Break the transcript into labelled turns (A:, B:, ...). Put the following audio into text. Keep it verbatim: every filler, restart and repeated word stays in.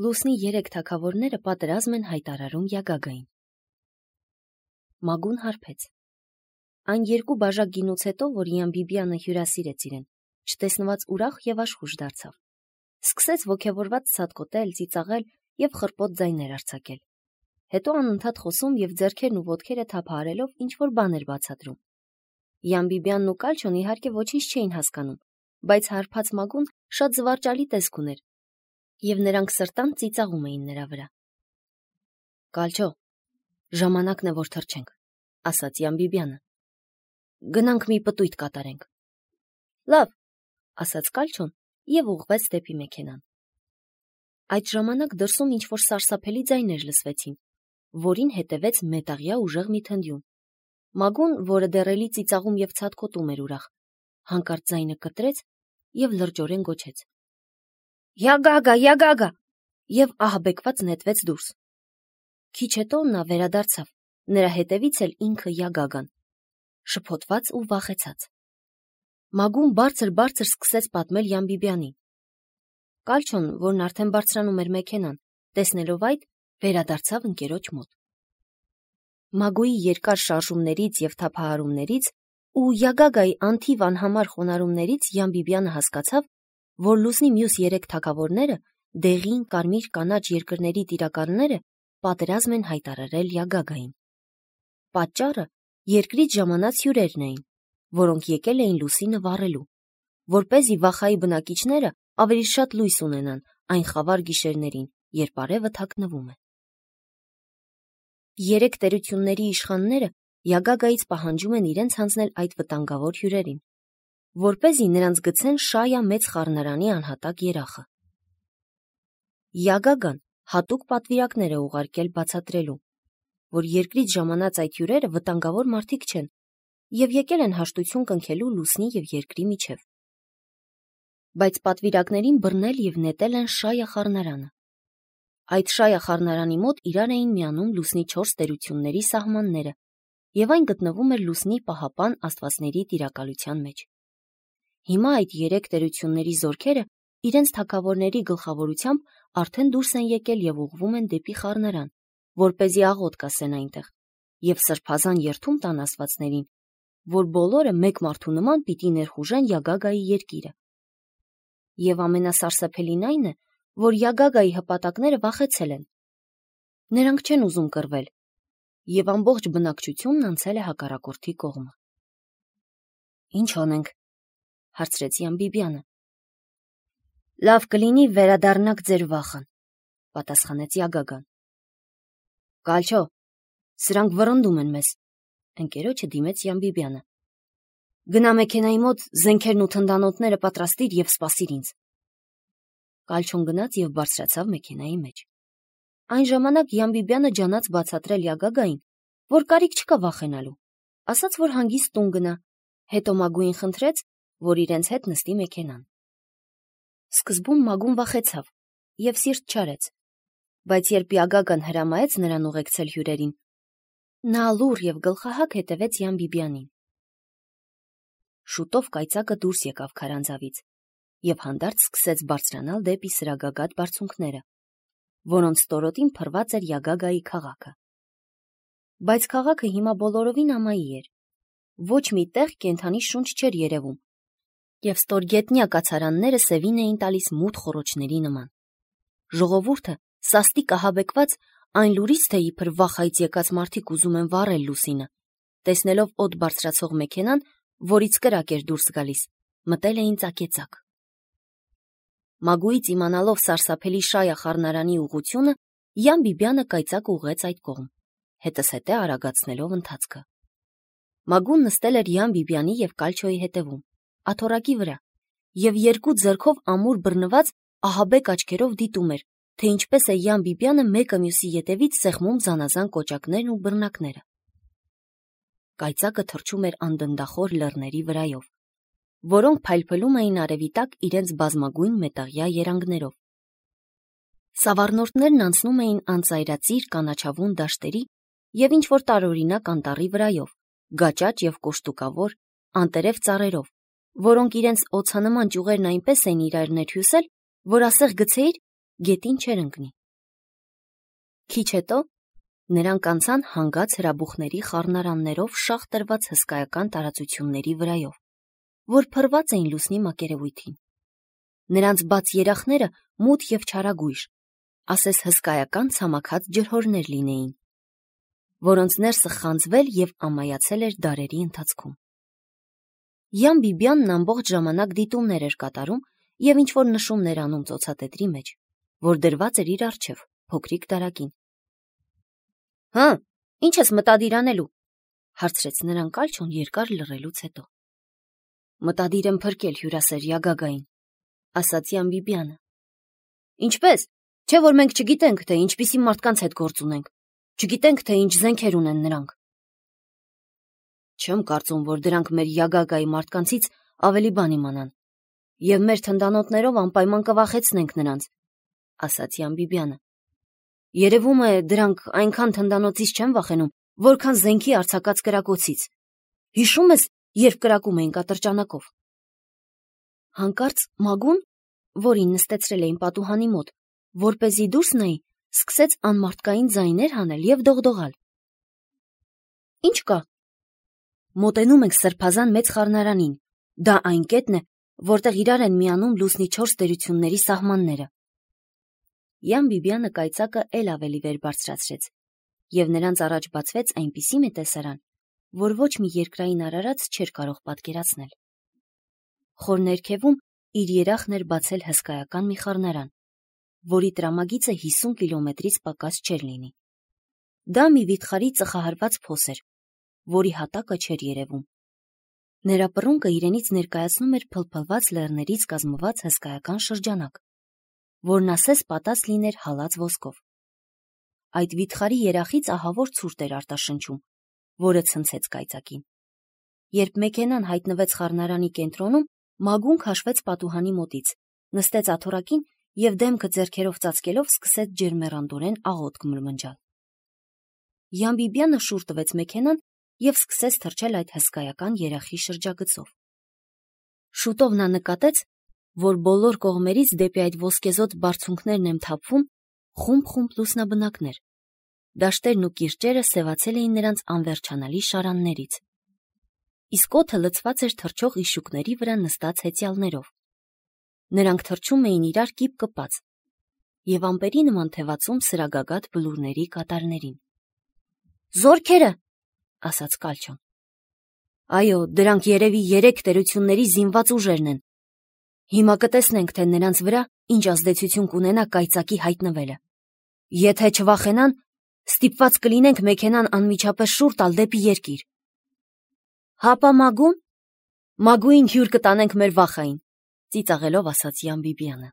A: Լուսնի երեք թագավորները պատերազմ են հայտարարում Յագագային։ Մագուն հարբեց։ Այն երկու բաժակ գինուց հետո, որ Յամբիբյանը հյուրասիրեց իրեն, չտեսնված ուրախ եւ աշխուժ դարձավ։ Սկսեց ոգևորված ցատկոտել, ծիծաղել եւ խռպոտ ձայներ արձակել։ Հետո անընդհատ խոսում եւ ձեռքերն ու ոտքերը թափահարելով ինչ-որ բան էր բացատրում։ Յամբիբյանն ու Կալչոն իհարկե ոչինչ չէին հասկանում, բայց հարբած Մագուն շատ զվարճալի տեսք ուներ, եւ նրանք սրտան ծիծաղում էին նրա վրա։ Կալչո, ժամանակն է որ թռչենք, ասաց Յամբիբյանը։ Գնանք մի պտույտ կատարենք։ Լավ, ասաց Կալչոն եւ ուղղվեց դեպի մեքենան։ Այդ ժամանակ դրսում ինչ-որ սարսափելի ձայներ լսվեցին, որին հետևեց մետաղյա ուժեղ մի թնդյուն։ Մագուն, որը դեռելի ծիծաղում եւ ցատկոտում էր ուրախ, հանկարծ ձայնը կտրեց եւ լրջորեն գոչեց. Յագագա, Յագագա, եւ ահաբեկված նետվեց դուրս։ Քիչ հետո նա վերադարձավ, նրա հետևից էլ ինքը Յագագան, շփոթված ու վախեցած։ Մագուն բարձր-բարձր սկսեց պատմել Յամբիբյանին։ Կալչոն, որն արդեն բարձրանում էր մեքենան, տեսնելով այդ, վերադարձավ ընկերոջ մոտ։ Մագուի երկար շարժումներից եւ թափահարումներից ու Յագագայի անթիվ անհամար խոնարհումներից Յամբիբյանը հասկացավ, որ Լուսնի մյուս երեք թագավորները, դեղին, կարմիր, կանաչ երկրների տիրակալները, պատերազմ են հայտարարել Յագագային։ Պատճառը երկրից ժամանած հյուրերն էին, որոնք եկել էին Լուսինը վառելու, որպեսզի Վախայի բնակիչները ավելի շատ լույս ունենան այն խավար գիշերներին, երբ արևը թաքնվում է։ Երեք տերությունների իշխանները Յագագայից պահանջում են իրենց հանձնել այդ վտանգավոր հյուրերին, որպեսզի նրանց գցեն Շայա մեծ խառնարանի անհատակ երախը։ Յագագան հատուկ պատվիրակներ է ուղարկել բացատրելու, որ երկրից ժամանած այդ հյուրերը վտանգավոր մարդիկ չեն եւ եկել են հաշտություն կնքելու Լուսնի եւ երկրի միջև։ Բայց պատվիրակներին բռնել եւ նետել են Շայա խառնարանը։ Այդ Շայա խառնարանի մոտ իրար էին միանում Լուսնի չորս տերությունների սահմանները, եւ այն գտնվում էր Լուսնի պահապան աստվածների տիրակալության մեջ։ Հիմա այդ երեք տերությունների զորքերը իրենց թագավորների գլխավորությամբ արդեն դուրս են եկել եւ ուղղվում են դեպի խառնարան, որպեսզի աղոտ կասեն այնտեղ եւ սրբազան երթում տան աստվածներին, որ բոլորը մեկ մարդու նման պիտի ներխուժեն Յագագայի երկիրը։ Եվ ամենասարսափելին այն է, որ Յագագայի հպատակները վախեցել են։ Նրանք չեն ուզում կռվել, եւ ամբողջ բնակչությունն անցել է հակառակորդի կողմը։ Ինչ անենք, հարցրեց Յամբիբյանը։ Լավ կլինի վերադառնաք ձեր վախան, պատասխանեց Յագագան։ Կալչո, սրանք վռնդում են մեզ, ընկերոջը դիմեց Յամբիբյանը։ Գնա մեքենայի մոտ, զենքերն ու թնդանոթները պատրաստիր եւ սպասիր ինձ։ Կալչոն գնաց եւ բարձրացավ մեքենայի մեջ։ Այն ժամանակ Յամբիբյանը ջանաց բացատրել Յագագային, որ կարիք չկա վախենալու, ասաց, որ հանգիստ տուն գնա, հետո Մագուին խնդրեց, որ իրենց հետ նստի մեքենան։ Սկզբում Մագուն վախեցավ եւ սիրտ չարեց, բայց երբ Յագագան հրամայեց նրան ուղեկցել հյուրերին, նա լուռ եւ գլխահակ հետևեց Յամբիբյանին։ Շուտով կայծակը դուրս եկավ քարանձավից եւ հանդարտ սկսեց բարձրանալ դեպի սրագագաթ բարձունքները, որոնց ստորոտին փռված էր Յագագայի քաղաքը։ Բայց քաղաքը հիմա բոլորովին ամայի էր։ Ոչ մի տեղ կենդանի շունչ չէր երևում, եւ ստորգետնյա կացարանները սևին էին տալիս մութ խոռոչների նման։ Ժողովուրդը, սաստիկ ահաբեկված, այն լուրից, թե իբր Վախայից եկած մարդիկ ուզում են վառել Լուսինը, տեսնելով օդ բարձրացող մեքենան, որից կրակ էր դուրս գալիս, մտել էին ծակեցակ։ Մագուից իմանալով սարսափելի Շայա խառնարանի ուղղությունը, Յամբիբյանը կայծակ ուղղեց այդ կողմ, հետզհետե արագացնելով ընթացքը։ Մագուն նստել էր Յամբիբյանի եւ Կալչոյի հետևում, աթոռակի վրա, եւ երկու ձեռքով ամուր բռնված ահաբեկ աչքերով դիտում էր, թե ինչպես է Յամբիբյանը մեկը մյուսի ետևից սեղմում զանազան կոճակներն ու բռնակները։ Կայծակը թռչում էր անդնդախոր լեռների վրայով, որոնք փայլփլում էին արևի տակ իրենց բազմագույն մետաղյա երանգներով։ Սավառնորդներն անցնում էին անծայրածիր կանաչավուն դաշտերի եւ ինչ-որ տարօրինակ անտառի վրայով, գաճաճ եւ կոշտուկավոր, անտերև ծառերով, որոնք իրենց օձանման ճյուղերն այնպես էին իրար ներհյուսել, որ ասեղ գցեիր գետին չէր ընկնի։ Քիչ հետո նրանք անցան հանգած հրաբուխների խառնարաններով շաղ տրված հսկայական տարածությունների վրայով, որ փռված էին լուսնի մակերևույթին։ Նրանց բաց երախները մութ և չարագույժ, ասես հսկայական ցամաքած ջրհորներ լինեին, որոնց ներսը խանձվել և ամայացել էր դարերի ընթացքում։ Յան Բիբյանն ամբողջ ժամանակ դիտումներ էր կատարում և ինչ-որ նշումներ անում ծոցատետրի մեջ, որ դրված էր իր առջև, փոքրիկ դարակին։ «Հը, ի՞նչ ես մտադիր անելու», հարցրեց նրան Կալչոն երկար լռելուց հետո։ «Մտադիր եմ փրկել հյուրասեր Յագագային», ասաց Յան Բիբյանը։ «Ինչպե՞ս, չէ՞ որ մենք չգիտենք, թե ինչպիսի մարդկանց հետ գործ ունենք, չգիտենք, թե ինչ զենքեր ունեն նրանք»։ «Չեմ կարծում, որ դրանք մեր Յագագայի մարդկանցից ավելի բան իմանան, և մեր թնդանոթներով անպայման կվախեցնենք նրանց», ասաց Յան Բիբյանը։ «Երևում է, դրանք այնքան թնդանոթից չեն վախենում, որքան զենքի արձակած կրակոցից։ Հիշո՞ւմ ես, երբ կրակում էինք ատրճանակով»։ Հանկարծ Մագուն, որին նստեցրել էին պատուհանի մոտ, որպեսզի դուրս նայի, սկսեց անմարդկային ձայներ հանել և դողդողալ։ «Ի՞նչ կա»։ «Մոտենում ենք սրբազան մեծ խառնարանին, դա այն կետն է, որտեղ իրար են միանում լուսնի չորս տերությունների սահմանները»։ Յան Բիբյանը կայծակը էլ ավելի վեր բարձրացրեց, և նրանց առաջ բացվեց այնպիսի մի տեսարան, որ ոչ մի երկրային արարած չէր կարող պատկերացնել։ Խոր ներքևում իր երախն էր բացել հսկայական մի խառնարան, որի տրամագիծը հիսուն կիլոմետրից պակաս չէր լինի։ Դա մի վիթխարի ծխահարված փոս էր, որի հատակը չէր երևում։ Նրա պռունկը իրենից ներկայացնում էր փլփլված լեռներից կազմված հսկայական շրջանակ, որն ասես պատած լիներ հալած ոսկով։ Այդ վիթխարի երախից ահավոր ցուրտ էր արտաշնչում, որը ցնցեց կայծակին։ Երբ մեքենան հայտնվեց խառնարանի կենտրոնում, Մագուն քաշվեց պատուհանի մոտից, նստեց աթոռակին և դեմքը ձեռքերով ծածկելով սկսեց ջերմեռանդորեն աղոթք մրմնջալ։ Յան Բիբյանը շուռ տվեց մեքենան և սկսեց թռչել այդ հսկայական երախի շրջագծով։ Շուտով նա նկատեց, որ բոլոր կողմերից դեպի այդ ոսկեզօծ բարձունքներն են թափվում խումբ-խումբ լուսնաբնակներ։ Դաշտերն ու կիրճերը սևացել էին նրանց անվերջանալի շարաններից, իսկ օդը լցված էր թռչող իշուկների վրա նստած հեծյալներով։ Նրանք թռչում էին իրար կիպ կպած և ամպերի նման թևածում սրագագաթ բլուրների կատարներին։ «Զորքերը», ասաց Կալչոն։ «Այո, դրանք երևի երեք տերությունների զինված ուժերն են։ Հիմա կտեսնենք, թե նրանց վրա ինչ ազդեցություն կունենա կայծակի հայտնվելը։ Եթե չվախենան, ստիպված կլինենք մեքենան անմիջապես շուռ տալ դեպի երկիր»։ «Հապա Մագուն»։ «Մագուին հյուր կտանենք մեր վախային», ծիծաղելով ասաց Յան Բիբյանը։